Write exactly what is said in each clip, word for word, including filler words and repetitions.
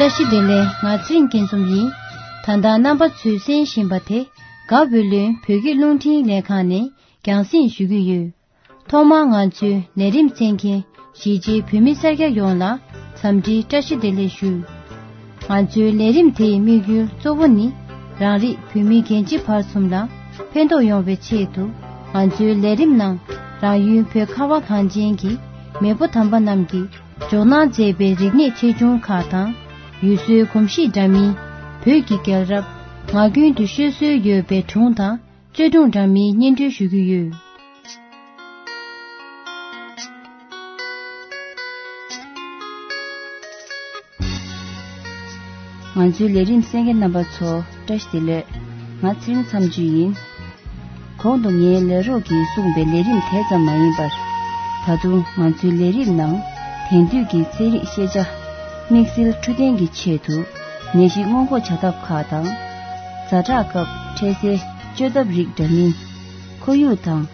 བཀྲ་ཤིས་བདེ་ལེགས། ང་ཚེ་རིང་སྐྱིད་འཛོམས་ཡིན། ད་ལྟ་རྣམ་པ་ཚོས་གསན་བཞིན་པ་དེ། དགའ་བོད་ལུང་བོད་སྐད་རླུང་འཕྲིན་ལས་ཁང་ནས་རྒྱང་སྲིང་ཞུ་གི་ཡོད། ཐོག་མར་ང་ཚོའི་ལས་རིམ་གསན་མཁན་གཞིས་བྱེས་བོད་མི་སེར་སྐྱ་ཡོངས་ལ་འཚམས་འདྲིའི་བཀྲ་ཤིས་བདེ་ལེགས་ཞུ། ང་ཚོའི་ལས་རིམ་དེའི་དམིགས་ཡུལ་གཙོ་བོ་ནི། རང་རིགས་བོད་མི་རྒན་བྱིས་བར་གསུམ་ལ་ཕན་ཐོགས་ཡོང་བའི་ཆེད་དུ། ང་ཚོའི་ལས་རིམ་ནང་རང་ཡུལ་བོད་ཁ་བ་གངས་ཅན་གྱི་མེས་པོ་དམ་པ་རྣམས་ཀྱིས་འཇོག་གནང་མཛད་པའི་རིག་གནས་ཆེ་ཆུང་ཁག་དང་། ཡུལ་སྲོལ་གོམས་གཤིས་འདྲ་མིན། བོད་ཀྱི་རྒྱལ་རབས། ངག་རྒྱུན་དུ་ཤོད་སྲོལ་ཡོད་པའི་སྒྲུང་དང་། བརྩེ་དུང་འདྲ་མིན་སྙན་སྒྲོན་ཞུ་གི་ཡོད། ང་ཚོའི་ལས་རིམ་གསན་མཁན་རྣམ་པ་ཚོ་བཀྲ་ཤིས་བདེ་ལེགས། ང་ཚེ་རིང་མཚམས་གཅོད་ཡིན། གོང་དུ་ངའི་ལས་རོགས་ཀྱིས་གསུངས་པའི་ལས་རིམ་དེ་ཙམ་མ་ཡིན་པར། ད་དུང་ང་ཚོའི་ལས་རིམ་ནང་དེང་དུས་ཀྱི་ཚན་རིག་ཤེས་བྱ། དམིགས་བསལ་འཕྲོད་བསྟེན་གྱི་ཆེད་དུ་ནད་གཞི་སྔོན་འགོག་བྱ་ཐབས་ཁག་དང་། ཛ་དྲག་སྐབས་འཕྲལ་སེལ་བཅོས་ཐབས་རིགས་འདྲ་མིན། ཁོར་ཡུག་དང་།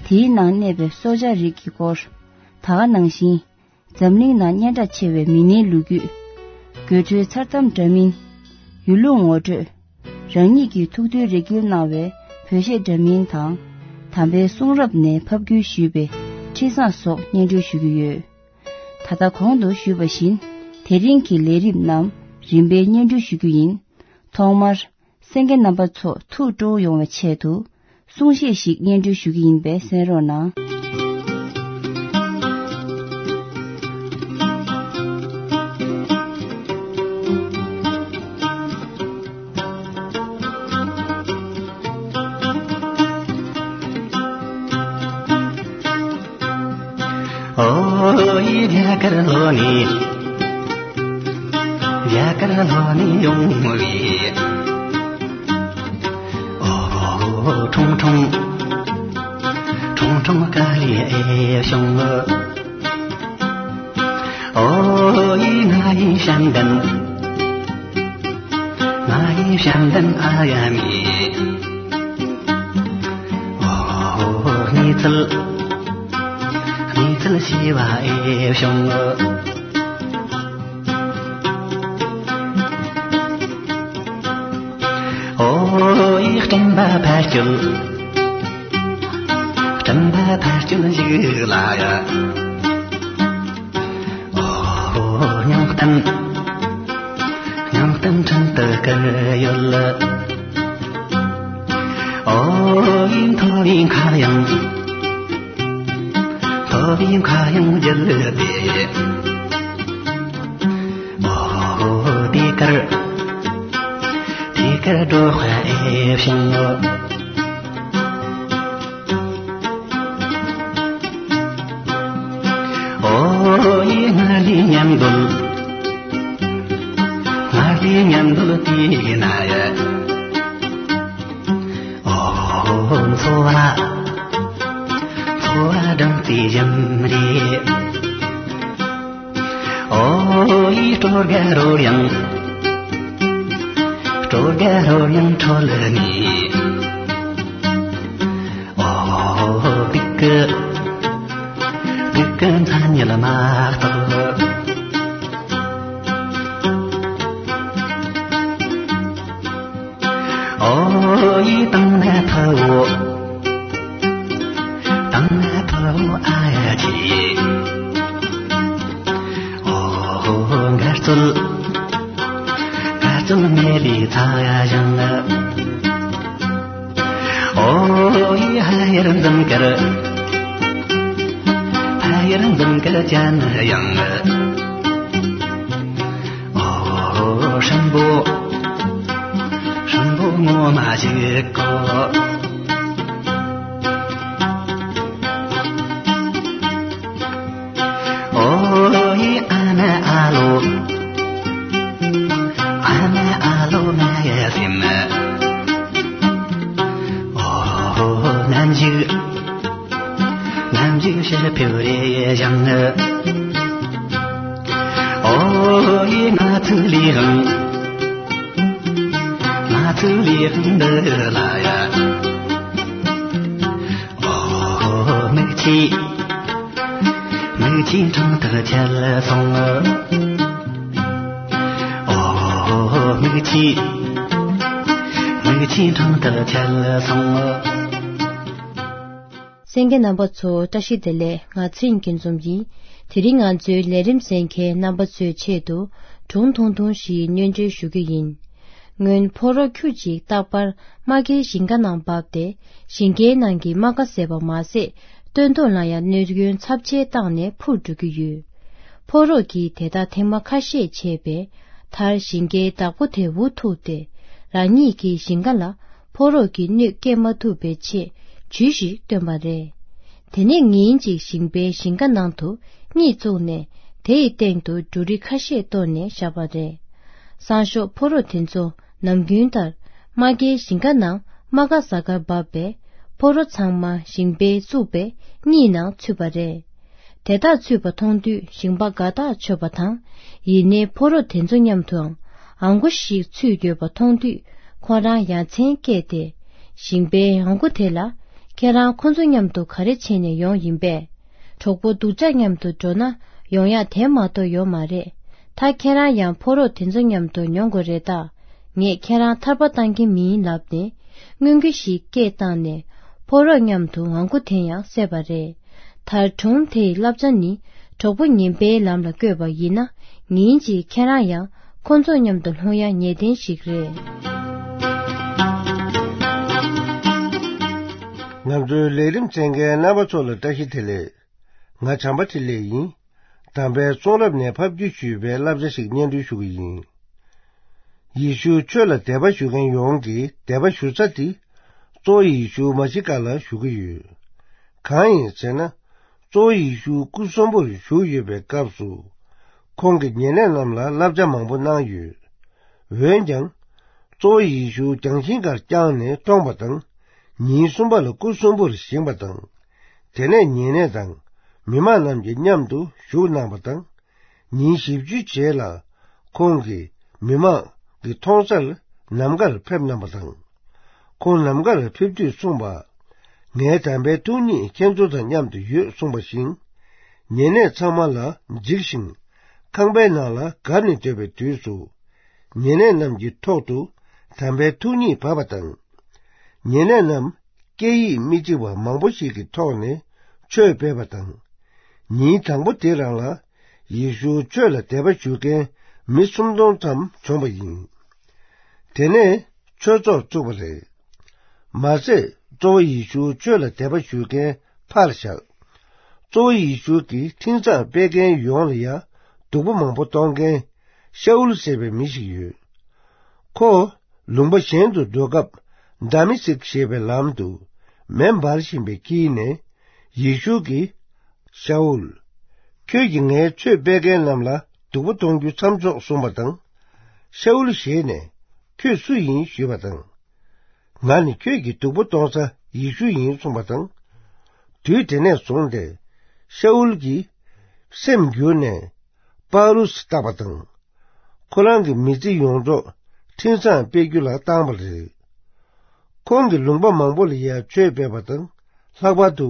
དེའི་ནང་གནས་པའི་སྲོག་ཆགས་རིགས་ཀྱི་སྐོར། ད་ག་ནང་བཞིན། འཛམ་གླིང་ནང་སྙན་གྲགས་ཆེ་བའི་མི་སྣའི་ལོ་རྒྱུས། དགོད་བྲོའི་མཚར་གཏམ་འདྲ་མིན། ཡུལ་ལུང་ངོ་སྤྲོད། རང་ཉིད་ཀྱི་ཐུགས་འདུན་རེ་སྐུལ་གནང་བའི་བོད་གཞས་འདྲ་མིན་དང་། དམ་པའི་གསུང་རབ་ནས་ཕབ་བསྒྱུར་ཞུས་པའི་འཕྲིན་བཟང་སོགས་སྙན་སྒྲོན་ཞུ་གི་ཡོད། ད་ལྟ་གོང་དུ་ཞུས་པ་བཞིན། དེ་རིང་གི་ལས་རིམ་རྣམས་རིམ་པས་སྙན་སྒྲོན་ཞུ་རྒྱུ་ཡིན། ཐོག་མར། གསན་མཁན་རྣམ་པ་ཚོ་ཐུགས་སྤྲོ་བོ་ཡོང་བའི་ཆེད་དུ། གསུང་བཤད་ཞིག་སྙན་སྒྲོན་ཞུ་གི་ཡིན་པས་གསན་རོགས་གནང་། ཨོ་ཡི་རྒྱ་གར་ལོ་ནི། རྒྱ་གར་ལོ་ནི་ཡོང་བའི། ཨོ་ཁྲུང་ཁྲུང་། ཁྲུང་ཁྲུང་ཀ་ལི་ཨེ་ཤོང་། ཨོ་ཡི་ང་ཡི་ཤང་གན། ང་ཡི་ཤང་གན་ཨ་ཡ་མི། ཨོ་ནི་ཚལ། ནི་ཚལ་ཤི་བ་ཨེ་ཤོང་། ཨོ་ཡི་སྤྲིན་པ་ཕར་སྐྱོད། སྤྲིན་པ་ཕར་སྐྱོད་ཞིག་ལ་ཡ། ཨོ་ཉང་སྟན། ཉང་སྟན་ཁྲིན་ཏུ་ཀར་ཡོད་ལ། ཨོ་ཡི་མཐོ་བའི་མཁའ་དབྱིངས། མཐོ་བའི་མཁའ་དབྱིངས་བརྒྱུད་དེ། ཨོ་དེ་གར། དེ་གར་འགྲོ་ཧ་ཨེ་བྱུང་། ཨོ་ཡི་ང་ལི་མཉམ་འདུལ། ང་ལི་མཉམ་འདུལ་དེ་ན་ཡ། ཨོ་འཚོ་བ། འཚོ་བ་སྦྲང་རྩིའི་ཞིམ་རས། ཨོ་ཡི་སྤྲོ་དགའ་རོལ་དབྱངས། སྤྲོ་དགའ་རོལ་དབྱངས་ཁྲོད་ནས། ཨོ་སྡུག་གི། སྡུག་གི་མཚན་ཉིད་མ་གཏོགས། ཨོ་ཡི་དང་ན་ཕ་བོ། དང་ན་ཕ་བོ་ཨ་ཡ་ཆི། ཨོ་འགར་ཚུལ། འགར་ཚུལ་མེ་ལི་ཚ་ཡ་ཞང་། ཨོ་ཡི་ཧ་ཡར་འཛམ་དཀར། ཧ་ཡར་འཛམ་དཀར་ཅན་ཡང་། ཨོ་ཧྲམ་པོ། ཧྲམ་པོ་ངོ་མ་ཞིག་གོ། ཨོ་ཡི་ཨ་མ་ཨ་ལོ། ཨ་མ་ཨ་ལོ་མ་ཡ་སེམས། ཨོ་ནམ་ཞིག་ནམ་ཞིག་ཤར་ཕེབས་རེ་ཞང་། ཨོ་ཡི་ང་ཚུགས་ལི་ཧང་། ང་ཚུགས་ལི་ཧང་འདི་ལ་ཡ། ཨོ་མིག་ཆི། མིག་ཆི་ཁྲང་ཐག་ཆད་སོང་། ཨོ། མིག་ཆེ། མིག་ཆེ་འཕྲང་ལྟར་ཁྱེར་སོང་། གསན་མཁན་རྣམ་པ་ཚོ་བཀྲ་ཤིས་བདེ་ལེགས། ང་ཚེ་རིང་སྐྱིད་འཛོམས་ཡིན། དེ་རིང་ང་ཚོའི་ལས་རིམ་གསན་མཁན་རྣམ་པ་ཚོའི་ཆེད་དུ་སྒྲུང་ཐུང་ཐུང་ཞིག་སྙན་སྒྲོན་ཞུ་གི་ཡིན། སྔོན་ཕོ་རོག་ཁྱུ་གཅིག་རྟག་པར་རྨ་ཁའི་ཞིང་ཁ་ནང་བབས་ཏེ། ཞིང་ཁའི་ནང་གི་རྨ་ཁ་ཟད་པ་མ་ཟད། སྟོན་ཐོག་ལ་ཡང་གནོད་སྐྱོན་ཚབས་ཆེ་བཏང་ནས་འཕུར་འགྲོ་གི་ཡོད། ཕོ་རོག་གིས་དེ་དག་ཐེངས་མ་ཁ་ཤས་བྱས་པས། མཐར་ཞིང་ཁའི་བདག་པོ་དེ་འུ་ཐུག་སྟེ། རང་ཉིད་ཀྱི་ཞིང་ཁ་ལ་ཕོ་རོག་གིས་གནོད་སྐྱེལ་མ་ཐུབ་པའི་ཆེད་ཇུས་ཤིག་བཏོན་པ་རེད། དེ་ནས་ཉིན་གཅིག་ཞིང་པའི་ཞིང་ཁ་ནང་དུ་གཉིད་བཙུགས་ནས། དེ་ཡི་སྟེང་དུ་འབྲུ་རིགས་ཁ་ཤས་གཏོར་ནས་བཞག་པ་རེད། སང་ཞོགས་ཕོ་རོག་དེ་ཚོ་ནམ་རྒྱུན་ལྟར་རྨ་ཁའི་ཞིང་ཁ་ནང་རྨ་ཁ་ཟ་གར་བབས་པས། ཕོ་རོག་ཚང་མ་ཞིང་པས་བཙུགས་པའི་གཉིད་ནང་ཚུད་པ་རེད། དེ་དག་ཚུད་པ་མཐོང་དུས་ཞིང་པ་དགའ་ཐག་ཆོད་པ་དང་། ཡིན་ནའི་ཕོ་རོག་དེ་ཚོ་མཉམ་དུའང་ཨང་གོ་ཞིག་ཚུད་ཡོད་པ་མཐོང་དུས། ཁོ་རང་ཡ་མཚན་སྐྱེས་ཏེ། ཞིང་པའི་ཨང་གོ་དེ་ལ། ཁྱེད་རང་ཁོ་ཚོ་མཉམ་དུ་ག་རེ་བྱས་ནས་ཡོང་ཡིན་པས། གྲོགས་པོ་སྡུག་ཅག་མཉམ་དུ་འགྲོ་ན་ཡོང་ཡག་དེ་མ་གཏོགས་ཡོད་མ་རེད། ད་ཁྱེད་རང་ཡང་ཕོ་རོག་དེ་ཚོ་མཉམ་དུ་ཡོང་དགོས་རེད་ད། ངས་ཁྱེད་རང་ཐར་པ་བཏང་གི་མིན་ལབ་ནས་རྔོན་གྱི་ཞིག་སྐད་བཏང་ནས། ཕོ་རོག་མཉམ་དུ་ཨང་གོ་དེ་ཡང་བསད་པ་རེད། མཐར་སྒྲུང་དེའི་བསླབ་བྱ་ནི། གྲོགས་པོ་ངན་པའི་ལམ་ལ་བཀོད་པ་ཡིན་ན། ཉིན་གཅིག་ཁྱེད་རང་ཡང་ཁོ་ཚོ་མཉམ་དུ་ལྷུང་ཡ་ངེས་གཏན་ཞིག་རེད། ང་ཚོའི་ལས་རིམ་གསན་མཁན་རྣམ་པ་ཚོ་ལ་བཀྲ་ཤིས་བདེ་ལེགས། ང་བྱམས་པ་འཕྲིན་ལས་ཡིན། དམ་པའི་གསུང་རབ་ནས་ཕབ་བསྒྱུར་ཞུས་པའི་བསླབ་བྱ་ཞིག་སྙན་སྒྲོན་ཞུ་གི་ཡིན། ཡེ་ཤུ་ཆོས་ལ་དད་པ་ཞུ་མཁན་ཡོངས་ཀྱིས་དད་པ་ཞུ་ས་དེ། གཙོ་བོ་ཡེ་ཤུ་མ་ཤི་ཀ་ལ་ཞུ་གི་ཡོད། གང་ཡིན་ཟེར་ན། གཙོ་བོ་ཡེ་ཤུ་སྐུ་གསོན་པོར་བཞུགས་ཡོད་པའི་སྐབས་སུ། ཁོང་གིས་ཉེ་གནས་རྣམས་ལ་བསླབ་བྱ་མང་པོ་གནང་ཡོད། འོན་ཀྱང་། གཙོ་བོ་ཡེ་ཤུ་རྒྱང་ཤིང་ཁར་བརྐྱངས་ནས་བཀྲོངས་པ་དང་། ཉིན་གསུམ་པ་ལ་སྐུ་གསོན་པོར་བཞེངས་པ་དང་། དེ་ནས་ཉེ་གནས་དང་མི་མང་རྣམས་ཀྱིས་མཉམ་དུ་བཞུགས་གནང་བ་དང་། ཉིན་བཞི་བཅུའི་རྗེས་ལ་ཁོང་གིས་མི་མང་གི་མཐོང་སར་ནམ་མཁར་ཕེབས་གནང་བ་དང་། ཁོང་ནམ་མཁར་ཕེབས་དུས་གསུངས་པ། ངའི་དམ་པའི་ཐུགས་ཉིད་ཁྱེད་ཚོ་དང་མཉམ་དུ་ཡོད་གསུངས་པ་བཞིན། ཉེ་གནས་ཚང་མ་ལ་འཇིགས་ཤིང་། ཁང་པའི་ནང་ལ་བརྒབ་ནས་སྡོད་པའི་དུས་སུ། ཉེ་གནས་རྣམས་ཀྱི་ཐོག་ཏུ་དམ་པའི་ཐུགས་ཉིད་བབས་པ་དང་། ཉེ་གནས་རྣམས་སྐད་ཡིག་མི་གཅིག་པ་མང་པོ་ཞིག་གི་ཐོག་ནས་ཆོས་སྤེལ་བ་དང་། ཉིན་དང་པོ་དེ་རང་ལ་ཡེ་ཤུ་ཆོས་ལ་དད་པ་ཞུ་མཁན་མི་སུམ་སྟོང་ཙམ་བྱུང་བ་ཡིན། དེ་ནས་ཆོས་ཚོགས་བཙུགས་པ་རེད། མ་ཟད་གཙོ་བོ་ཡེ་ཤུ་ཆོས་ལ་དད་པ་ཞུ་མཁན་ཕར་བཞག་གཙོ་བོ་ཡེ་ཤུ་གི་འཕྲིན་བཟང་སྤེལ་མཁན་ཡོངས་ལ་ཡང་སྡུག་པོ་མང་པོ་གཏོང་མཁན་ཤའུལ་ཟེར་བའི་མི་ཞིག་ཡོད། ཁོ་ལུང་པ་གཞན་དུ་འགྲོ་སྐབས་དཱ་མི་སིག་ཞེས་པའི་ལམ་དུ་མེ་འབར་བཞིན་པའི་དཀྱིལ་ནས་ཡེ་ཤུ་གིས། ཤའུལ། ཁྱོད་ཀྱིས་ངའི་ཆོས་སྤེལ་མཁན་རྣམས་ལ་སྡུག་པོ་གཏོང་རྒྱུ་མཚམས་འཇོག་གསུངས་པ་དང་། ཤའུལ་ཞེད་ནས། ཁྱོད་སུ་ཡིན་ཞུས་པ་དང་། ང་ནི་ཁྱོད་ཀྱིས་སྡུག་པོ་གཏོང་ས་ཡེ་ཤུ་ཡིན་གསུངས་པ་དང་། དུས་དེ་ནས་བཟུང་སྟེ། ཤའུལ་གྱིས་སེམས་འགྱུར་ནས་པཱ་ལུས་བཏགས་པ་དང་། ཁོ་རང་གི་མི་ཚེ་ཡོངས་རྫོགས་འཕྲིན་བཟང་སྤེལ་རྒྱུ་ལ་བཏང་བ་རེད། ཁོང་གིས་ལུང་པ་མང་པོ་ལ་ཡང་ཆོས་སྤེལ་བ་དང་། ལྷག་པར་དུ་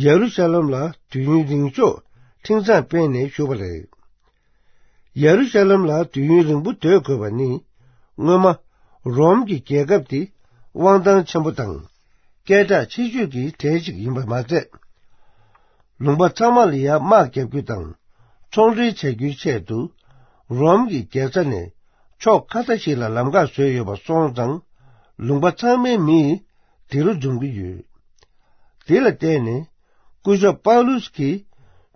ཡེ་རུ་ཤ་ལམ་ལ་དུས་ཡུན་རིང་ཤོས་འཕྲིན་བཟང་སྤེལ་ནས་བཞུགས་པ་རེད། ཡེ་རུ་ཤ་ལམ་ལ་དུས་ཡུན་རིང་པོ་སྡོད་དགོས་པ་ནི། སྔོན་མ་རོམ་གྱི་རྒྱལ་ཁབ་དེ་དབང་ཐང་ཆེན་པོ་དང་། སྐད་གྲགས་ཆེ་ཤོས་ཀྱི་གྲས་ཤིག་ཡིན་པ་མ་ཟད། ལུང་པ་ཚང་མ་ལ་ཡང་དམག་རྒྱག་རྒྱུ་དང་། ཚོང་འབྲེལ་བྱ་རྒྱུའི་ཆེད་དུ། རོམ་གྱི་རྒྱལ་ས་ནས་ཕྱོགས་ཁ་ཤས་ཤིག་ལ་ལམ་ཁ་བཟོས་ཡོད་པ་སོང་ཙང་། ལུང་པ་ཚང་མའི་མིས་དེ་རུ་འཛོམས་ཀྱི་ཡོད། དེ་ལ་བརྟེན་ནས། སྐུ་ཞབས་པཱ་ལུས་ཀྱིས་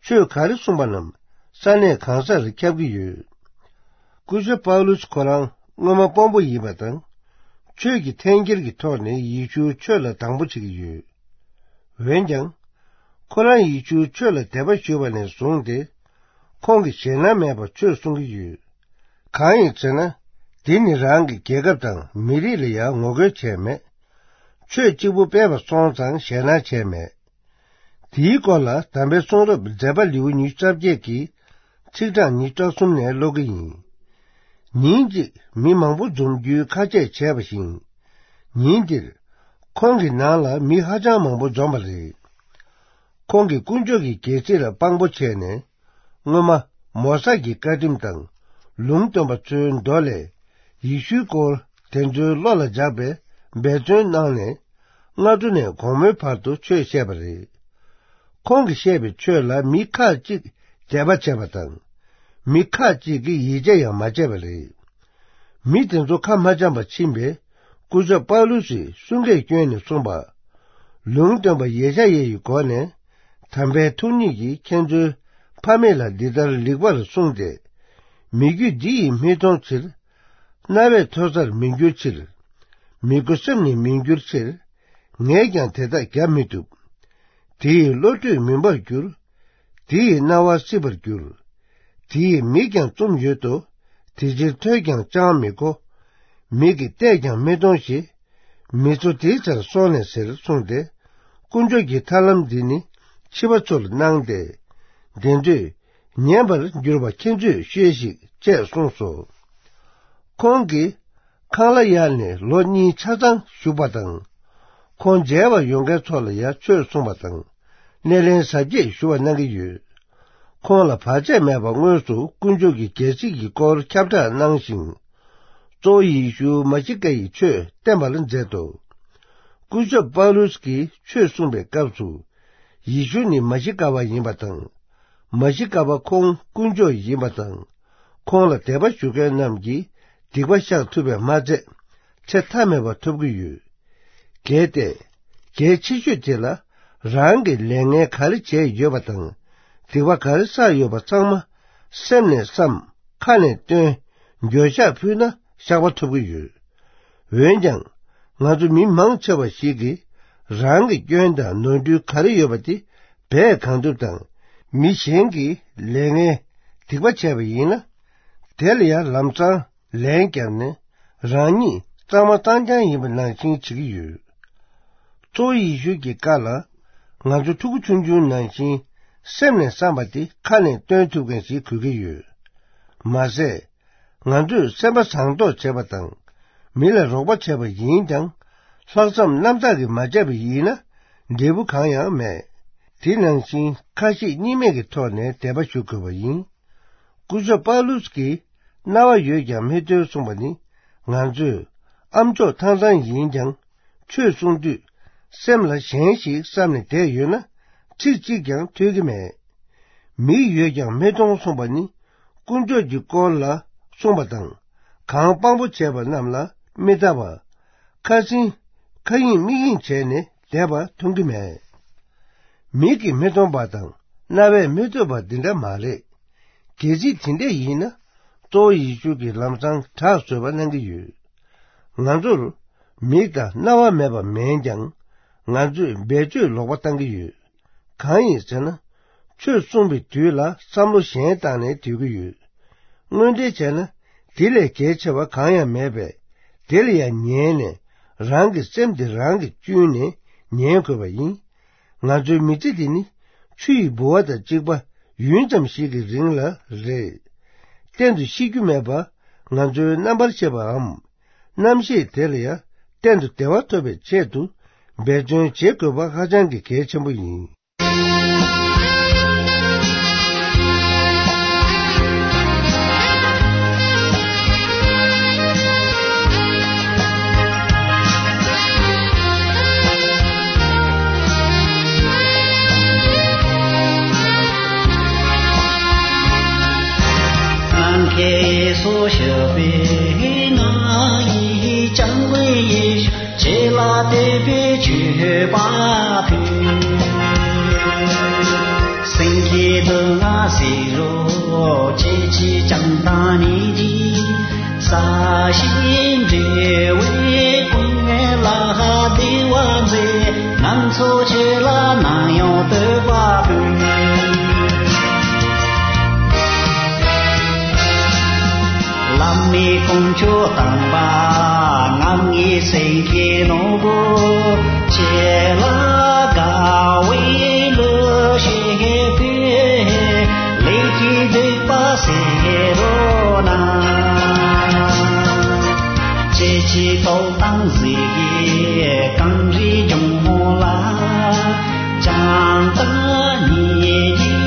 ཆོས་ག་རེ་གསུངས་པ་རྣམས་ས་གནས་གང་སར་ཁྱབ་ཀྱི་ཡོད། སྐུ་ཞབས་པཱ་ལུས་ཁོ་རང་སྔོན་མ་དཔོན་པོ་ཡིན་པ་དང་། ཆོས་ཀྱི་འཐེན་འཁྱེར་གྱི་ཐོག་ནས་ཡེ་ཤུའི་ཆོས་ལ་སྡང་པོ་བྱེད་ཀྱི་ཡོད། འོན་ཀྱང་། ཁོ་རང་ཡེ་ཤུའི་ཆོས་ལ་དད་པ་ཞུས་པ་ནས་བཟུང་སྟེ། ཁོང་གིས་ཞེད་སྣང་མེད་པར་ཆོས་གསུང་གི་ཡོད། གང་ཡིན་ཟེར་ན། དེ་ནི་རང་གི་རྒྱལ་ཁབ་དང་མི་རིགས་ལ་ཡང་ངོ་རྒོལ་བྱས་མེད། ཆོས་གཅིག་པུ་སྤེལ་བ་སོང་ཙང་ཞེད་སྣང་བྱས་མེད། དེའི་སྐོར་ལ་དམ་པའི་གསུང་རབ་མཛད་པ་ལེའུ་ཉི་ཤུ་རྩ་བརྒྱད་ཀྱི་ཚིག་གྲངས་ཉི་ཤུ་རྩ་གསུམ་ནས་ཀློག་གི་ཡིན། ཉིན་གཅིག་མི་མང་པོ་འཛོམས་རྒྱུའི་ཁ་ཆད་བྱས་པ་བཞིན། ཉིན་དེར་ཁོང་གི་ནང་ལ་མི་ཧ་ཅང་མང་པོ་འཛོམས་པ་རེད། ཁོང་གིས་དཀོན་མཆོག་གི་སྒེར་རྩིས་ལ་དཔང་པོ་བྱས་ནས། སྔོན་མ་མོ་ས་ཀྱི་བཀའ་ཁྲིམས་དང་ལུང་སྟོན་པ་ཚོའི་མདོ་ལས། ཡེ་ཤུའི་སྐོར་དེ་ཚོའི་བློ་ལ་འཇགས་པའི་འབད་བརྩོན་གནང་ནས། སྔ་དྲོ་ནས་དགོང་མོའི་བར་དུ་ཆོས་བཤད་པ་རེད། ཁོང་གིས་བཤད་པའི་ཆོས་ལ་མི་ཁག་ཅིག་དད་པ་བྱས་པ་དང་། མི་ཁག་ཅིག་གིས་ཡིད་ཆེས་ཡང་མ་བྱས་པ་རེད། མི་དེ་ཚོ་ཁ་མ་འཆམ་པར་ཕྱིན་པས། སྐུ་ཞབས་པཱ་ལུ་སིས་གསུང་སྐད་བསྐྱོན་ནས་གསུངས་པ། ལུང་སྟོན་པ་ཡེ་ཤ་ཡའི་སྒོ་ནས། དམ་པའི་ཐུགས་ཉིད་ཀྱིས་ཁྱེད་ཚོའི་ཕ་མེས་ལ་འདི་ལྟར་ལེགས་པར་གསུངས་ཏེ། མི་རྒྱུད་འདི་ཡིས་མི་མཐོང་ཕྱིར། རྣ་བས་ཐོས་སར་མི་འགྱུར་ཕྱིར། མི་མགོ་སེམས་ནི་མི་འགྱུར་ཕྱིར། ངས་ཀྱང་དེ་དག་རྒྱབ་མི་ཐུབ། དེ་ཡི་བློ་གྲོས་མུན་པར་འགྱུར། དེ་ཡི་རྣ་བ་སྲིད་པར་འགྱུར། དེ་ཡི་མིག་ཀྱང་བཙུམས་ཡོད་དོ། དེ་ཕྱིར་ཐོས་ཀྱང་ཅང་མི་གོ། མིག་གིས་བལྟས་ཀྱང་མི་མཐོང་ཞེས། མི་ཚོ་དེའི་ཆར་སོང་ནས་ཟེར་གསུངས་ཏེ། དཀོན་མཆོག་གི་ཐར་ལམ་འདི་ནི་ཕྱི་པ་ཚོར་གནང་སྟེ། དེ་དུས་ཉན་པར་འགྱུར་བ་ཁྱེད་ཚོས་ཤེས་ཤིག་ཅེས་གསུངས་སོ། ཁོང་གིས་ཁང་གླ་གཡར་ནས་ལོ་གཉིས་ཆ་ཚང་བཞུགས་པ་དང་། ཁོང་མཇལ་བར་ཡོང་མཁན་ཚོ་ལ་ཡང་ཆོས་གསུངས་པ་དང་། སྣེ་ལེན་གཟབ་རྒྱས་ཞུ་བ་གནང་གི་ཡོད། ཁོང་ལ་བར་ཆད་མེད་པར་དངོས་སུ་དཀོན་མཆོག་གི་རྒྱལ་སྲིད་ཀྱི་སྐོར་ཁྱབ་བསྒྲགས་གནང་ཞིང་། གཙོ་བོ་ཡེ་ཤུ་མ་ཤི་ཀ་ཡི་ཆོས་བསྟན་པ་ལ་མཛད་དོ། སྐུ་ཞབས་པཱ་ལུས་ཀྱིས་ཆོས་གསུངས་པའི་སྐབས་སུ། ཡེ་ཤུ་ནི་མ་ཤི་ཀ་པ་ཡིན་པ་དང་། མ་ཤི་ཀ་པ་ཁོང་དཀོན་མཆོག་ཡིན་པ་དང་། ཁོང་ལ་དད་པ་ཞུ་མཁན་རྣམས་ཀྱིས་སྡིག་པ་བཤགས་ཐུབ་པས་མ་ཚད། ཚེ་མཐའ་མེད་པ་ཐོབ་ཀྱི་ཡོད། གལ་ཏེ། གལ་ཆེ་ཤོས་དེ་ལ། རང་གིས་ལས་ངན་ག་རེ་བྱས་ཡོད་པ་དང་། སྡིག་པ་ག་རེ་བསགས་ཡོད་པ་ཚང་མ། སེམས་ནས་བསམ། ཁ་ནས་བཏོན། འགྱོད་བཤགས་ཕུལ་ན་བཤགས་པ་ཐོབ་ཀྱི་ཡོད། འོན་ཀྱང་། ང་ཚོ་མི་མང་ཆེ་བ་ཞིག་གིས། རང་གི་སྐྱོན་དང་ནོར་འཁྲུལ་ག་རེ་ཡོད་པ་དེ་སྦས་གང་ཐུབ་དང་། མི་གཞན་གྱིས་ལས་ངན་སྡིག་པ་བྱས་པ་ཡིན་ན། དེ་ལ་ཡང་ལམ་སང་ལན་བརྒྱབ་ནས། རང་ཉིད་གཙང་མ་གཙང་རྐྱང་ཡིན་པ་ནང་བཞིན་བྱེད་ཀྱི་ཡོད། གཙོ་བོ་ཡེ་ཤུ་གི་བཀའ་ལ། ང་ཚོ་ཕྲུ་གུ་ཆུང་ཆུང་ནང་བཞིན། སེམས་ནས་བསམ་པ་དེ་ཁ་ནས་བཏོན་ཐུབ་མཁན་ཞིག་དགོས་ཀྱི་ཡོད། མ་ཟད། ང་ཚོས་སེམས་པ་བཟང་མདོག་བྱས་པ་དང་། མི་ལ་རོགས་པ་བྱས་པ་ཡིན་ཀྱང་། ལྷག་བསམ་རྣམ་དག་གིས་མ་བྱས་པ་ཡིན་ན། འབྲས་བུ་གང་ཡང་མེད། དེ་ནང་བཞིན་ཁ་ཞེ་གཉིས་མེད་ཀྱི་ཐོག་ནས་དད་པ་ཞུ་དགོས་པ་ཡིན། སྐུ་ཞབས་པཱ་ལུས་ཀྱིས་རྣ་བ་ཡོད་ཀྱང་མི་ཐོས་གསུངས་པ་ནི། ང་ཚོས་ཨ་མཆོག་ཐང་ཐང་ཡིན་ཀྱང་། ཆོས་གསུང་དུས། སེམས་ལ་གཞན་ཞིག་བསམ་ནས་བསྡད་ཡོད་ན། ཚིག་གཅིག་ཀྱང་ཐོས་ཀྱི་མེད། མིག་ཡོད་ཀྱང་མི་མཐོང་གསུངས་པ་ནི། དཀོན་མཆོག་གི་སྐོར་ལ་གསུངས་པ་དང་། གང་དཔང་པོ་བྱས་པ་རྣམས་ལ་མི་ལྟ་བར། ཁ་སེང་། ཁ་ཡེངས་མིག་ཡེངས་བྱས་ནས་བསྡད་པ་མཐོང་གི་མེད། མིག་གིས་མི་མཐོང་བ་དང་། རྣ་བས་མི་ཐོས་པ་འདི་འདྲ་མ་རེད། གལ་སྲིད་དེ་འདྲ་ཡིན་ན། གཙོ་བོ་ཡེ་ཤུ་གིས་ལམ་སང་དྲག་བཟོས་པ་གནང་གི་ཡོད། ང་ཚོར་མིག་དང་རྣ་བ་མེད་པ་མིན་ཀྱང་། ང་ཚོས་བེད་སྤྱོད་ལོག་པ་བཏང་གི་ཡོད། གང་ཡིན་ཟེར་ན། ཆོས་གསུངས་པའི་དུས་ལ་བསམ་བློ་གཞན་བཏང་ནས་སྡོད་ཀྱི་ཡོད། དངོས་འབྲེལ་བྱས་ན། དེ་ལས་གལ་ཆེ་བ་གང་ཡང་མེད་པས། དེ་ལ་ཡང་ཉན་ནས། རང་གི་སེམས་དེ་རང་གིས་བཅུས་ནས་ཉན་དགོས་པ་ཡིན། ང་ཚོའི་མི་ཚེ་འདི་ནི། ཆུ་ཡི་ལྦུ་བ་དང་གཅིག་པ། ཡུན་ཙམ་ཞིག་གི་རིང་ལ་རེད། གཏན་དུ་ཤི་རྒྱུ་མེད་པ། ང་ཚོའི་རྣམ་པར་ཤེས་པའམ། རྣམ་ཤེས་དེ་ལ་ཡང་གཏན་དུ་བདེ་བ་ཐོབ་པའི་ཆེད་དུ། འབད་བརྩོན་བྱེད་དགོས་པ་ཧ་ཅང་གི་གལ་ཆེན་པོ་ཡིན། སྔར་ཁྱེད་སོ་ཞབས་པའི་ང་ཡི་ཅང་བའི་ཡེ་ཤུ། ཁྱེད་ལ་དད་པའི་མཆོད་པ་ཕུལ། སེང་གེ་འདི་ང་ཟེར་རོ། ཁྱེད་ཀྱི་བྱམས་དང་ནི་ཇི། ས་གཞི་འབྲེལ་བའི་ཀུན་ལ་བདེ་བ་མཛད། ང་ཚོ་ཁྱེད་ལ་ནམ་ཡང་བསྟོད་པ་ཕུལ། བླ་མའི་དཀོན་མཆོག་དམ་པ། ང་ངི་སེང་གེ་ནོར་བུ། ཁྱེད་ལ་དགའ་བའི་འདུ་ཤེས་ཕུལ། ལས་ཀྱི་སྡིག་པ་སེལ་རོགས་གནང་། ཁྱེད་ཀྱི་ཐོབ་ཐང་གཟིགས་ཀྱི་གངས་རིའི་ལྗོངས་ལ། བྱམས་དང་ནི་ཇི་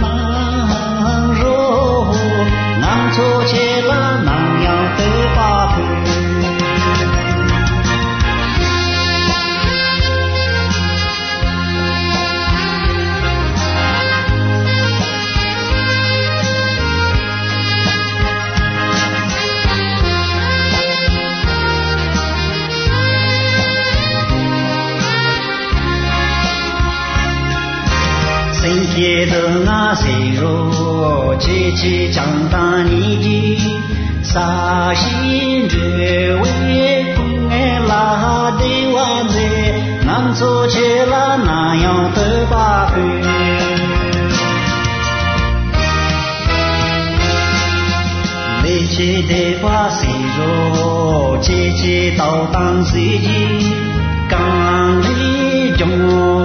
གནང་རོགས། ང་ཚོ་ཁྱེད་ལ་ནམ་ཡང་བསྟོད་པ་ཕུལ། ཆེ་ཆེ་བྱང་ཐང་ཉིད་ཀྱི་ས་གཞི་འགྲོ་བའི་སྐུ་ངལ་ལ་བདེ་བ་མཛད། ང་ཚོ་ཁྱེད་ལ་ནམ་ཡང་བསྟོད་པ་ཕུལ། ལས་ཀྱི་བདེ་བ་སྲིད་རོ་ཆེ་ཆེ་དོ་དང་སྲིད་ཀྱི་གང་ལས་ཀྱང་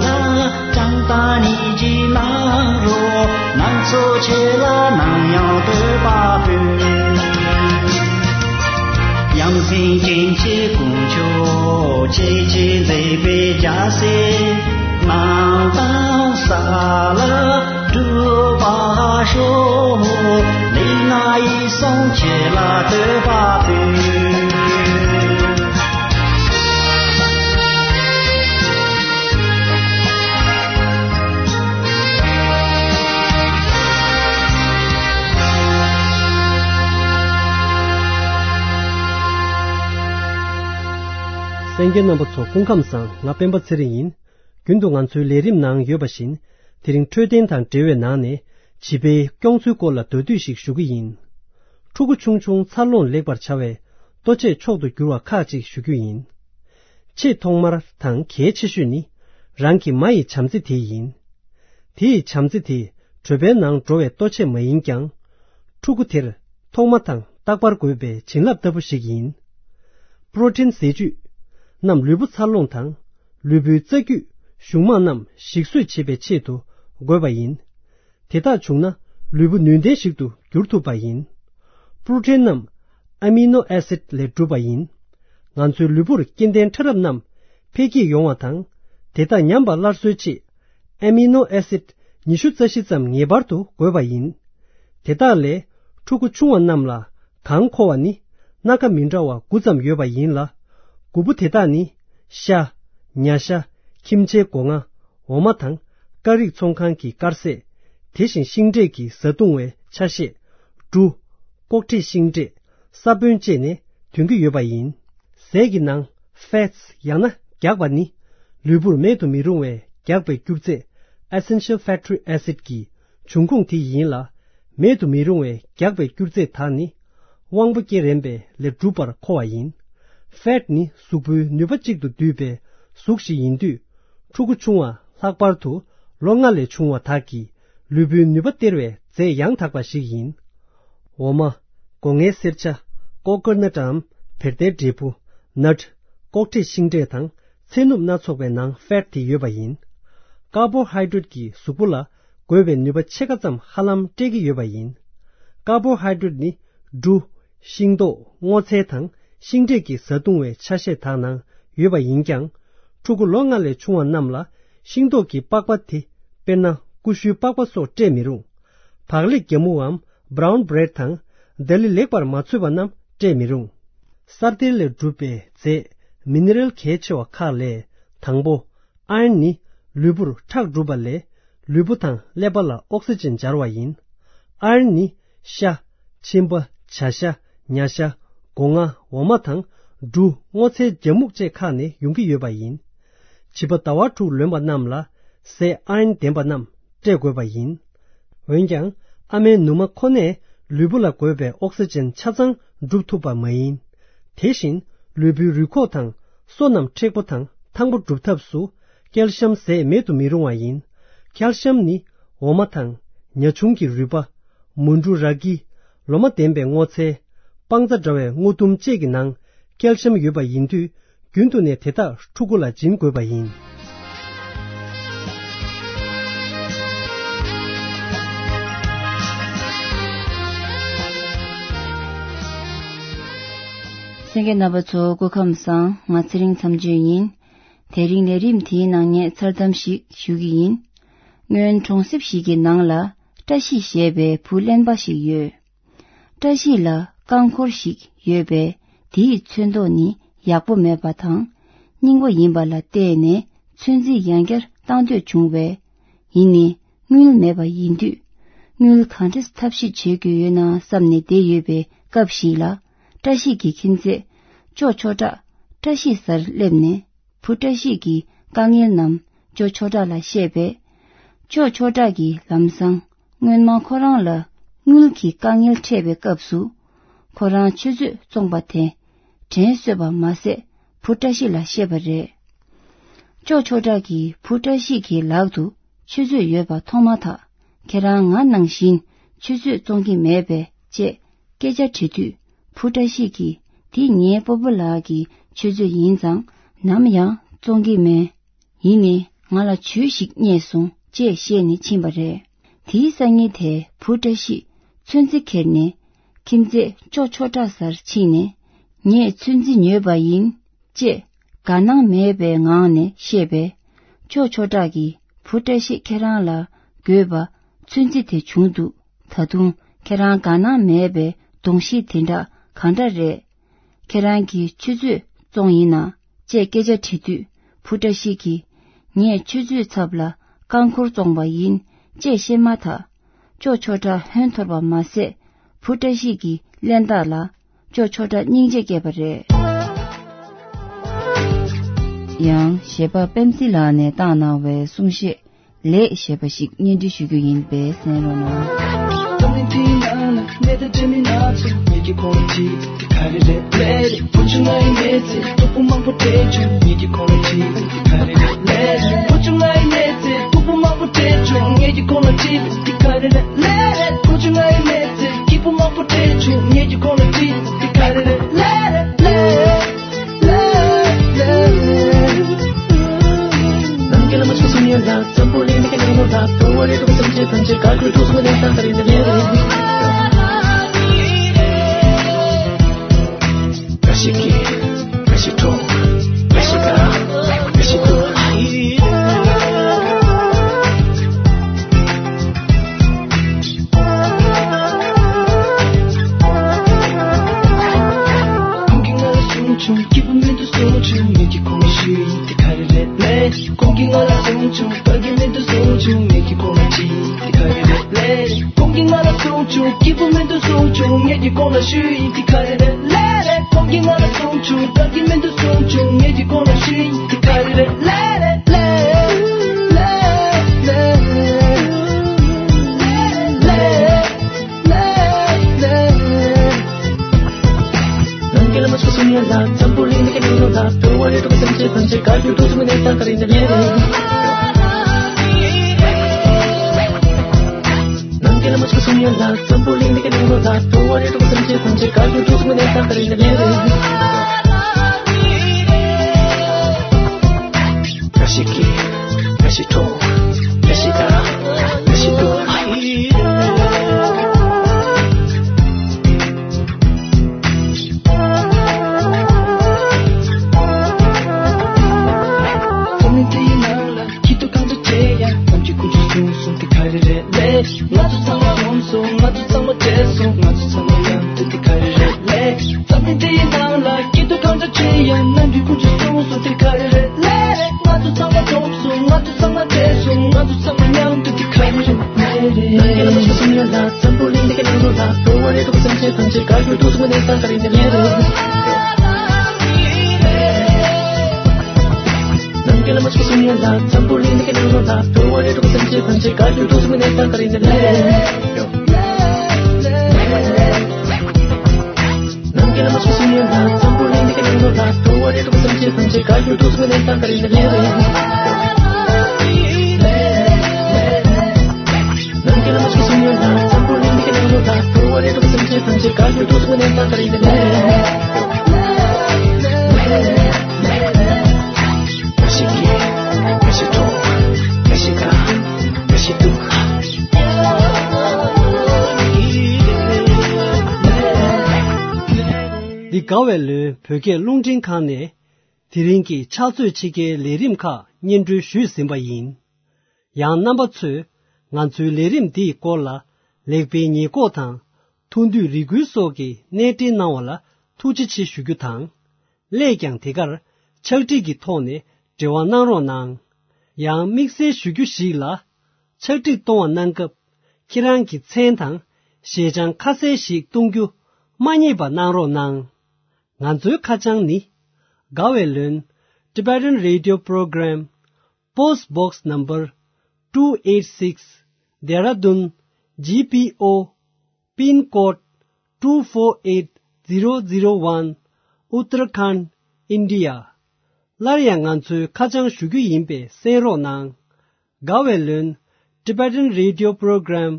ལ། ཀྲང་ཏ་ནི་ཅི་ནང་རོ་ང་ཚོ་ཆེ་ལ་ནམ་ཡང་བསྟོད་པ་ཕུལ། ཡང་སྲིད་སྐྱེ་འཆི་དཀོན་མཆོག་ཆེ་ཆེ་མཛད་པའི་རྒྱལ་སྲས་ནང་དང་ས་ལ་སྒྲུབ་པ་ཤོག་ལས་ང་ཡི་སོང་ཆེ་ལ་བསྟོད་པ་ཕུལ། གསན་མཁན་རྣམ་པ་ཚོ་སྐུ་ཁམས་བཟང་། ང་སྤེན་པ་ཚེ་རིང་ཡིན། རྒྱུན་དུ་ང་ཚོའི་ལས་རིམ་ནང་ཡོད་པ་བཞིན། དེ་རིང་འཕྲོད་བསྟེན་དང་འབྲེལ་བའི་ནང་ནས་བྱིས་པའི་སྐྱོང་ཚུལ་སྐོར་ལ་མདོར་བསྡུས་ཤིག་ཞུ་གི་ཡིན། ཕྲུ་གུ་ཆུང་ཆུང་འཚར་ལོངས་ལེགས་པར་བྱ་བའི་ལྟོ་ཆས་མཆོག་ཏུ་གྱུར་བ་ཁག་ཅིག་ཞུ་རྒྱུ་ཡིན། ཆེས་ཐོག་མར་དང་གལ་ཆེ་ཤོས་ནི། རང་གི་མ་ཡི་བྱམས་བརྩེ་དེ་ཡིན། དེ་ཡི་བྱམས་བརྩེ་དེ་གྲོད་པའི་ནང་འགྲོ་བའི་ལྟོ་ཆས་མ་ཡིན་ཀྱང་། ཕྲུ་གུ་དེར་ཐོག་མ་དང་རྟག་པར་དགོས་པའི་བྱིན་རླབས་ལྟ་བུ་ཞིག་ཡིན། པྲོ་ཊིན་ཟས་བཅུད་རྣམས་ལུས་པོ་འཚར་ལོངས་དང་། ལུས་པོའི་རྩ་རྒྱུས་གཞུང་མང་རྣམས་ཞིག་གསོས་བྱེད་པའི་ཆེད་དུ་དགོས་པ་ཡིན། དེ་དག་བྱུང་ན་ལུས་པོ་ནུས་ལྡན་ཞིག་ཏུ་འགྱུར་ཐུབ་པ་ཡིན། པྲོ་ཊིན་རྣམས་ཨ་མི་ནོ་ཨེ་སིད་ལས་གྲུབ་པ་ཡིན། ང་ཚོའི་ལུས་པོར་སྐྱེ་ལྡན་ཕྲ་རབ་རྣམས་འཕེལ་རྒྱས་ཡོང་བ་དང་། དེ་དག་ཉམས་པ་སླར་གསོའི་ཆེད། ཨ་མི་ནོ་ཨེ་སིད་ཉི་ཤུ་རྩ་བཞི་ཙམ་ངེས་པར་དུ་དགོས་པ་ཡིན། དེ་དག་ལས་ཕྲུ་གུ་ཆུང་བ་རྣམས་ལ་གང་མཁོ་བ་ནི་སྣ་ཁ་མི་འདྲ་བ་དགུ་ཙམ་ཡོད་པ་ཡིན་ལ། དགུ་པོ་དེ་དག་ནི། ཤ། ཉ་ཤ། ཁྱིམ་བྱའི་སྒོ་ང་། འོ་མ་དང་། ཀ་རིགས་ཚོང་ཁང་གི་དཀར་ཟས། དེ་བཞིན་ཤིང་འབྲས་ཀྱི་བཟའ་བཏུང་བའི་ཆ་ཤས། འབྲུ། ལྐོག་ཁྲེ་ཤིང་འབྲས། ས་བོན་བཅས་ནས་ཐོན་གྱི་ཡོད་པ་ཡིན། ཟས་ཀྱི་ནང་ཕེ་ཊི་ཡང་ན་རྒྱགས་པ་ནི། ལུས་པོར་མེད་དུ་མི་རུང་བའི་རྒྱགས་པའི་སྐྱུར་རྫས། Essential Fatty Acid གྱི་འབྱུང་ཁུངས་དེ་ཡིན་ལ། མེད་དུ་མི་རུང་བའི་རྒྱགས་པའི་སྐྱུར་རྫས་དག་ནི། དབང་པོ་སྐྱེ་རན་པའི་ལས་གྲུབ་པར་མཁོ་བ་ཡིན། ཕེ་ཊི་ནི་གཟུགས་པོའི་ནུས་པ་གཅིག་ཏུ་འདུས་པའི་གཟུགས་ཤིག་ཡིན་དུས། ཕྲུ་གུ་ཆུང་བ་ལྷག་པར་དུ་ལོ་ལྔ་ལས་ཆུང་བ་དག་གི་ལུས་པོའི་ནུས་པ་སྟེར་བའི་རྫས་ཡང་དག་པ་ཞིག་ཡིན། འོ་མ། སྒོ་ངའི་སེར་ཆ། ཀོ་ཀོ་ནཊ་འམ་བེར་ཏའི་འབྲས་བུ། ནཊ། ལྐོག་ཁྲེ་ཤིང་འབྲས་དང་ཚལ་སྣུམ་སྣ་ཚོགས་པའི་ནང་ཕེ་ཊི་དེ་ཡོད་པ་ཡིན། ཀར་བོ་ཧའི་ཌེ་རེ་ཊི་ཀྱིས་གཟུགས་པོ་ལ་དགོས་པའི་ནུས་པ་ཕྱེད་ཀ་ཙམ་ཧ་ལམ་སྤྲད་ཀྱི་ཡོད་པ་ཡིན། ཀར་བོ་ཧའི་ཌེ་རེ་ཊི་ནི་འབྲུ། ཤིང་ཏོག་སྔོ་ཚལ་དང་ཤིང་འབྲས་ཀྱི་བཟའ་བཏུང་བའི་ཆ་ཤས་དག་ནང་ཡོད་པ་ཡིན་ཀྱང་། ཕྲུ་གུ་ལོ་ལྔ་ལས་ཆུང་བ་རྣམས་ལ་ཤིང་ཏོག་གི་པགས་པ་དེ། དཔེར་ན་ཀུ་ཤུའི་པགས་པ་སོགས་སྤྲད་མི་རུང་། བག་ལེབ་རྒྱ་སྨུག་འམ་བྷ་རའུན་བྷི་རེ་ཌི་དང་། ལྡ་ལི་ལེགས་པར་མ་ཚོས་པ་རྣམས་སྤྲད་མི་རུང་། སར་གཏེར་ལས་གྲུབ་པའི་རྫས། མི་ནི་རལ་གལ་ཆེ་བ་ཁག་ལས། དང་པོ། ཨ་ཡོན་ནི་ལུས་པོར་ཁྲག་སྒྲུབ་པ་ལས། ལུས་པོ་དང་ཀླད་པ་ལ་ཨོག་སི་ཇན་སྦྱར་བ་ཡིན། ཨ་ཡོན་ནི་ཤ། མཆིན་པ། བྱ་ཤ། ཉ་ཤ། སྒོ་ང་། འོ་མ་དང་། འབྲུ། སྔོ་ཚལ། རྒྱ་སྨུག་བཅས་ཁག་ནས་ཡོང་གི་ཡོད་པ་ཡིན། བྱིས་པ་ཟླ་བ་དྲུག་ལོན་པ་རྣམས་ལ་ཟས་ཨ་ཡོན་ལྡན་པ་རྣམས་སྤྲད་དགོས་པ་ཡིན། འོན་ཀྱང་། ཨ་མའི་ནུ་མ་ཁོ་ནས་ལུས་པོ་ལ་དགོས་པའི་ཨོག་སི་ཇན་ཆ་ཚང་སྒྲུབ་ཐུབ་པ་མ་ཡིན། དེ་བཞིན་ལུས་པོའི་རུས་ཁོག་དང་སོ་རྣམས་མཁྲེགས་པོ་དང་ཐང་པོ་སྒྲུབ་ཐབས་སུ་ཀལ་ཤམ་ཟས་མེད་དུ་མི་རུང་བ་ཡིན། ཀལ་ཤམ་ནི་འོ་མ་དང་ཉ་ཆུང་གི་རུས་པ། མུ་འབྲུ་ར་གི། ལོ་མ་ལྡན་པའི་སྔོ་ཚལ། སྤང་རྩྭ་འདྲ་བའི་སྔོ་ལྡུམ་བཅས་ཀྱི་ནང་ཀལ་ཤམ་ཡོད་པ་ཡིན་དུས། རྒྱུན་དུ་ནས་དེ་དག་ཕྲུ་གུ་ལ་སྦྱིན་དགོས་པ་ཡིན། གསན་མཁན་རྣམ་པ་ཚོ་སྐུ་ཁམས་བཟང་། ང་ཚེ་རིང་མཚམས་གཅོད་ཡིན། དེ་རིང་ལས་རིམ་དེའི་ནང་ངས་མཚར་གཏམ་ཞིག་ཞུ་གི་ཡིན། སྔོན་གྲོང་གསེབ་ཞིག་གི་ནང་ལ་བཀྲ་ཤིས་ཞེས་པའི་བུ་གླེན་པ་ཞིག་ཡོད། བཀྲ་ཤིས་ལ་རྐང་འཁོར་ཞིག་ཡོད་པས་དེའི་ཚོན་མདོག་ནི་ཡག་པོ་མེད་པ་དང་། རྙིང་པ་ཡིན་པ་ལ་བརྟེན་ནས་ཚོན་རྩི་ཡང་བསྐྱར་བཏང་འདོད་བྱུང་བས། ཡིན་ནའི་དངུལ་མེད་པ་ཡིན་དུས། དངུལ་གང་འདྲས་ཐབས་ཤེས་བྱེད་དགོས་ཡོད་ན་བསམ་ནས་བསྡད་ཡོད་པའི་སྐབས་ཤིག་ལ། བཀྲ་ཤིས་ཀྱི་ཁྱིམ་མཚེས་ཅོ་ཆོས་གྲགས་བཀྲ་ཤིས་སར་སླེབས་ནས། བུ་བཀྲ་ཤིས་ཀྱི་དཀའ་ངལ་རྣམས་ཅོ་ཆོས་གྲགས་ལ་བཤད་པས། ཅོ་ཆོས་གྲགས་ཀྱིས་ལམ་སང་སྔོན་མ་ཁོ་རང་ལ་ དངུལ་གྱི་དཀའ་ངལ་འཕྲད་པའི་སྐབས་སུ། ཁོ་རང་ཆུ་ཚོད་བཙོངས་པ་དེ་དྲན་གསོས་པ་མ་ཟད། བུ་བཀྲ་ཤིས་ལ་བཤད་པ་རེད། ཅོ་ཆོས་གྲགས་ཀྱིས་བུ་བཀྲ་ཤིས་ཀྱི་ལག་ཏུ་ཆུ་ཚོད་ཡོད་པ་མཐོང་མ་ཐག་ཁྱེད་རང་ང་ནང་བཞིན་ཆུ་ཚོད་བཙོང་གི་མེད་པས་ཅེས་སྐད་ཆ་དྲིས་དུས། བུ་བཀྲ་ཤིས་ཀྱིས་འདི་ངའི་སྤོ་བོ་ལགས་ཀྱི་ཆུ་ཚོད་ཡིན་ཙང་ནམ་ཡང་བཙོང་གི་མེད། ཡིན་ནའི་ང་ལ་ཇུས་ཤིག་རྙེད་སོང་ཅེས་བཤད་ནས་ཕྱིན་པ་རེད། དེའི་སང་ཉིན་དེར་བུ་བཀྲ་ཤིས་ཚོན་རྩི་ཁྱེར་ནས་ཁྱིམ་མཚེས་ཅོ་ཆོས་གྲགས་སར་ཕྱིན་ནས། ངས་ཚོན་རྩི་ཉོས་པ་ཡིན་ཅེས་དགའ་སྣང་མེད་པའི་ངང་ནས་བཤད་པས། ཅོ་ཆོས་གྲགས་ཀྱིས་བུ་བཀྲ་ཤིས་ཁྱེད་རང་ལ་དགོས་པ་ཚོན་རྩི་དེ་བྱུང་འདུག་ད་དུང་ཁྱེད་རང་དགའ་སྣང་མེད་པའི་གདོང་གཤིས་དེ་འདྲ་གང་འདྲ་རེད། ཁྱེད་རང་གིས་ཆུ་ཚོད་བཙོང་ཡིན་ན་ཅེས་སྐད་ཆ་དྲིས་དུས། བུ་བཀྲ་ཤིས་ཀྱིས་ངས་ཆུ་ཚོད་ཚབ་ལ་རྐང་འཁོར་བཙོང་པ་ཡིན་ཅེས་བཤད་མ་ཐག་ཅོ་ཆོས་གྲགས་ཧོན་འཐོར་བ་མ་ཟད། བུ་བཀྲ་ཤིས་ཀྱི་གླེན་རྟགས་ལ་ཅོ་ཆོས་གྲགས་སྙིང་རྗེ་སྐྱེས་པ་རེད། ཡང་གཞས་པ་པེམ་སི་ལགས་ནས་བཏང་གནང་བའི་གསུང་བཤད། ལས་ཞེས་པ་ཞིག་སྙན་སྒྲོན་ཞུ་རྒྱུ་ཡིན་པས་གསན་རོགས་གནང་། ཁོང་གིས་ང་ལ་གསུངས་བྱུང་། སྐྱིད་པོ་མི་འདུག་གསུངས་བྱུང་། ངས་ཀྱི་ཁོང་ལ་ཅི་དེ་ག་རེ་རེད་ལེ། ཁོང་གིས་ང་ལ་གསུངས་བྱུང་། སྐྱིད་པོ་མི་འདུག་གསུངས་བྱུང་། ངས་ཀྱི་ཁོང་ལ་ཞུས་ཡིན་དེ་ག་རེ་རེད་ལེ་རེད། ཁོང་གིས་ང་ལ་གསུངས་བྱུང་། དགའ་གི་མི་འདུག་གསུངས་བྱུང་། ངས་ཀྱི་ཁོང་ལ་ཞུས་ཡིན་དེ་ག་རེ་རེད་ལེ་རེད་ལེ་ལེ་ལེ་ལེ། ང་ཚོ་ཚང་མ་གྲོངས་སོང་། ང་ཚོ་ཚང་མ་བྲལ་སོང་། ང་ཚོ་ཚང་མ་མཉམ་དུ་དེ་ག་རེ་རེད་ལེ། ཙམ་མི་དེ་ཡི་ནང་ལ་སྐྱིད་སྡུག་གང་འདྲ་ཅི་ཡང་ནམ་རྒྱུན་ཀུན་གྱིས་གསུངས་སོང་དེ་ག་རེ་རེད་ལེ། ང་ཚོ་ཚང་མ་གྲོངས་སོང་། ང་ཚོ་ཚང་མ་བྲལ་སོང་། ང་ཚོ་ཚང་མ་མཉམ་དུ་དེ་ག་རེ་རེད་ལེ། ནམ་རྒྱུན་ལ་མ་ཞིག་གསུང་ཡོད་ལ་འཛམ་བུ་གླིང་འདི་གའི་ནང་ལོགས་ལ་འགྲོ་བ་རེ་འགྲོ་བ་སེམས་ཅན་ཐམས་ཅད་དགའ་སྐྱིད་སྡུག་བསྔལ་ནས་ཐར་ག་རེ་ཡིན་ནམ་ལེ་རེད། ནམ་རྒྱུན་ལ་མ་ཞིག་གསུང་ཡོད་ལ་འཛམ་བུ་གླིང་འདི་གའི་ནང་ལོགས་ལ་འགྲོ་བ་རེ་འགྲོ་བ་སེམས་ཅན་ཐམས་ཅད་དགའ་སྐྱིད་སྡུག་བསྔལ་ནས་ཐར་ག་རེ་ཡིན་ནམ་ལེ། ནམ་རྒྱུན་ལ་མ་ཞིག་གསུང་ཡོད་ལ་འཛམ་བུ་གླིང་འདི་གའི་ནང་ལོགས་ལ་འགྲོ་བ་རེ་འགྲོ་བ་སེམས་ཅན་ཐམས་ཅད་དགའ་སྐྱིད་སྡུག་བསྔལ་ནས་ཐར་ག་རེ་ཡིན་ནམ་ལེ། ནམ་རྒྱུན་ལ་མ་ཞིག་གསུང་ཡོད་ལ་འཛམ་བུ་གླིང་འདི་གའི་ནང་ལོགས་ལ་འགྲོ་བ་རེ་འགྲོ་བ་སེམས་ཅན་ཐམས་ཅད་དགའ་སྐྱིད་སྡུག་བསྔལ་ནས་ཐར་ག་རེ་ཡིན་ནམ་ལེ། འདི་དགའ་བའི་ལོའི་བོད་སྐད་རླུང་འཕྲིན་ཁང་ནས་དེ་རིང་གི་ཕྱག་ཚོད་ཕྱེད་ཀའི་ལས་རིམ་ཁག་སྙན་སྒྲོན་ཞུས་ཟིན་པ་ཡིན། ཡང་རྣམ་པ་ཚོས་ང་ཚོའི་ལས་རིམ་འདིའི་སྐོར་ལ་ལེགས་སྤེལ་ཉེས་འགོག་དང་ཐུགས་འདོད་རེ་སྐུལ་སོགས་ཀྱི་གནས་འབྲེལ་གནང་བ་ལ་ཐུགས་རྗེ་ཆེ་ཞུ་རྒྱུ་དང་། སླད་ཀྱང་དེ་གར་ཕྱག་བྲིས་ཀྱི་ཐོག་ནས་འབྲེལ་བ་གནང་རོགས་གནང་། ཡང་དམིགས་བསལ་ཞུ་རྒྱུ་ཞིག་ལ། ཕྱག་བྲིས་གཏོང་བ་གནང་སྐབས་ཁྱེད་རང་གི་མཚན་དང་ཞལ་བྱང་ཁ་གསལ་ཞིག་གཏོང་རྒྱུ་མ་བསྙེལ་བ་གནང་རོགས་གནང་། ང་ཚོའི་ཁ་བྱང་ནི། དགའ་བའི་ལོན། Tibetan Radio Program, Post Box Number two eight six, Dehradun G P O Pin code two four eight zero zero one, Uttarakhand, India. སླར་ཡང་ང་ཚོའི་ཁ་བྱང་ཞུ་རྒྱུ་ཡིན་པས་གསན་རོགས་གནང་། དགའ་བའི་ལོན། Tibetan Radio Program,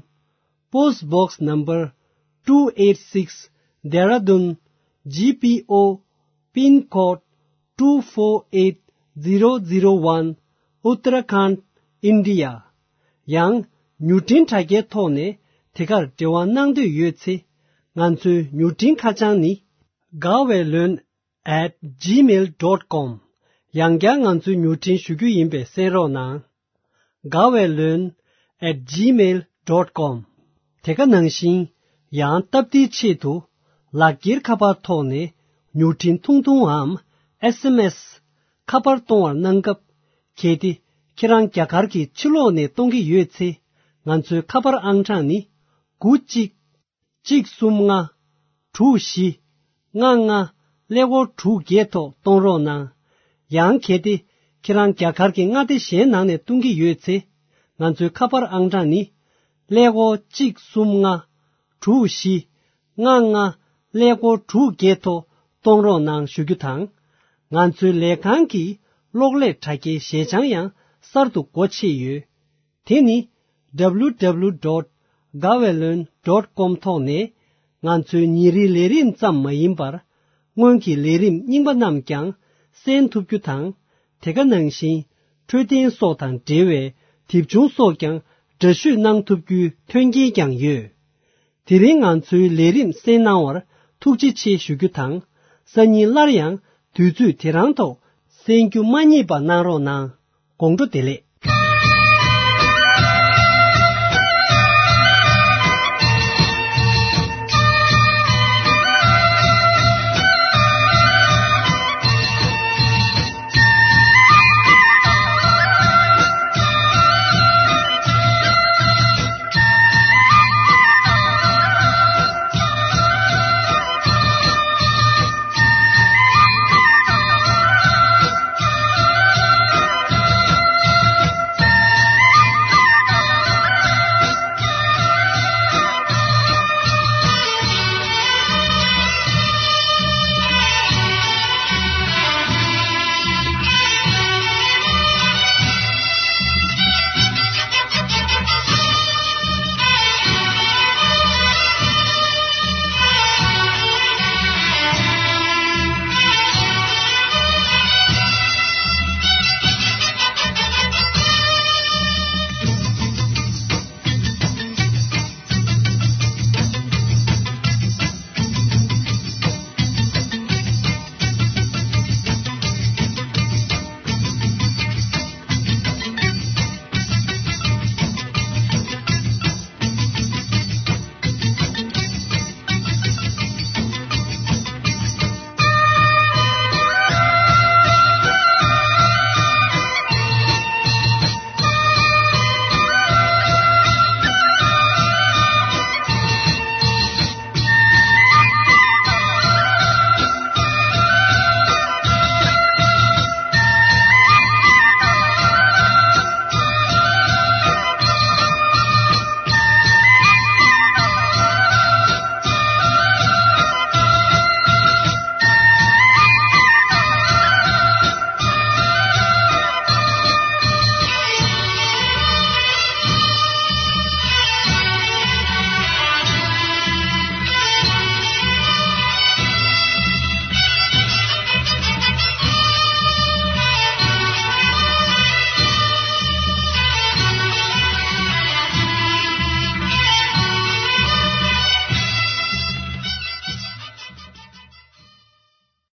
Post Box Number two eight six, Dehradun, G P O, Pin code two four eight zero zero one, Uttarakhand, India. ཡང་མྱུར་འཕྲིན་དྲ་རྒྱའི་ཐོག་ནས་དེ་གར་འབྲེལ་བ་གནང་འདོད་ཡོད་ཚེ། ང་ཚོའི་མྱུར་འཕྲིན་ཁ་བྱང་ནི། དགའ་བའི་ལོན། at gmail dot com། ཡང་བསྐྱར་ང་ཚོའི་མྱུར་འཕྲིན་ཞུ་རྒྱུ་ཡིན་པས་གསན་རོགས་གནང་། དགའ་བའི་ལོན། at gmail dot com། དེ་ག་ནང་བཞིན། ཡང་སྟབས་བདེའི་ཆེད་དུ། ལག་འཁྱེར་ཁ་པར་ཐོག་ནས་མྱུར་འཕྲིན་ཐུང་ཐུང་འམ་S M S ཁ་པར་གཏོང་བར་གནང་སྐབས། གལ་ཏེ་ཁྱེད་རང་རྒྱ་གར་གྱི་ཕྱི་ལོགས་ནས་གཏོང་གི་ཡོད་ཚེ། ང་ཚོའི་ཁ་པར་ཨང་གྲངས་ནི། དགུ་གཅིག་གཅིག་གསུམ་ལྔ། དྲུག་བཞི། ལྔ་ལྔ། ཀླད་ཀོར་དྲུག་བརྒྱད་ཐོག་གཏོང་རོགས་གནང་། ཡང་གལ་ཏེ་ཁྱེད་རང་རྒྱ་གར་གྱི་མངའ་སྡེ་གཞན་ནང་ནས་གཏོང་གི་ཡོད་ཚེ། ང་ཚོའི་ཁ་པར་ཨང་གྲངས་ནི། ཀླད་ཀོར་གཅིག་གསུམ་ལྔ། དྲུག་བཞི། ལྔ་ལྔ། ཀླད་ཀོར་དྲུག་བརྒྱད་ཐོག་གཏོང་རོགས་གནང་ཞུ་རྒྱུ་དང་། ང་ཚོའི་ལས་ཁང་གི་གློག་ཀླད་དྲ་རྒྱའི་ཞལ་བྱང་ཡང་གསར་དུ་སྒོ་ཕྱེ་ཡོད། དེ་ནི། W W W dot gaweylon dot com ཐོག་ནས། ང་ཚོའི་ཉིན་རེའི་ལས་རིམ་ཙམ་མ་ཡིན་པར། སྔོན་གྱི་ལས་རིམ་རྙིང་པ་རྣམས་ཀྱང་གསན་ཐུབ་རྒྱུ་དང་། དེ་ག་ནང་བཞིན། འཕྲོད་བསྟེན་སོགས་དང་འབྲེལ་བའི་དེབ་ཆུང་སོགས་ཀྱང་འདྲ་བཤུས་གནང་ཐུབ་རྒྱུའི་མཐུན་རྐྱེན་ཀྱང་ཡོད། དེ་རིང་ང་ཚོའི་ལས་རིམ་གསན་གནང་བར་ཐུགས་རྗེ་ཆེ་ཞུ་རྒྱུ་དང་། སང་ཉིན་སླར་ཡང་དུས་ཚོད་དེ་རང་ཐོག་གསན་རྒྱུ་མ་བསྙེལ་བ་གནང་རོགས་གནང་། དགོང་དྲོ་བདེ་ལེགས།